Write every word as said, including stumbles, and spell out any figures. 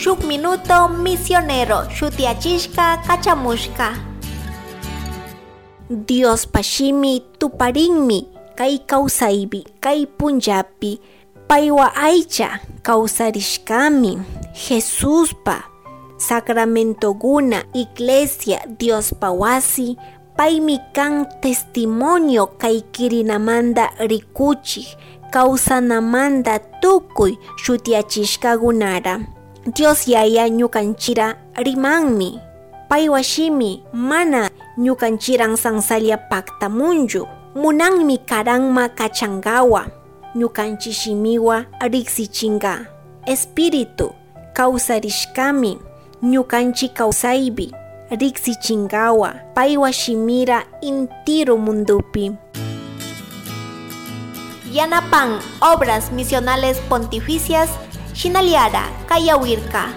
Shuk Minuto Misionero shutiyachishka kachamushka. Diospa shimi tuparinmi kay kawsaypi kay punllapi paywa aycha kawsarishkami Jesuspa sacramentoguna iglesia Diospa wasi paymi kan testimonio kay kirinamanta rikuchik kawsanamanta tukuy shutiyachishkakunara Dios Yaya ñukanchira rimanmi paywa shimi mana ñukanchiran sansalla paktamunchu munanmi karanma kachankawa ñukanchik shimiwa riksichinka Espíritu kawsarishkami ñukanchik kawsaypi riksichinkawa paywa shimira intiru mundupi. Yanapan Obras Misionales Pontificias Shinaliara Kayawirka.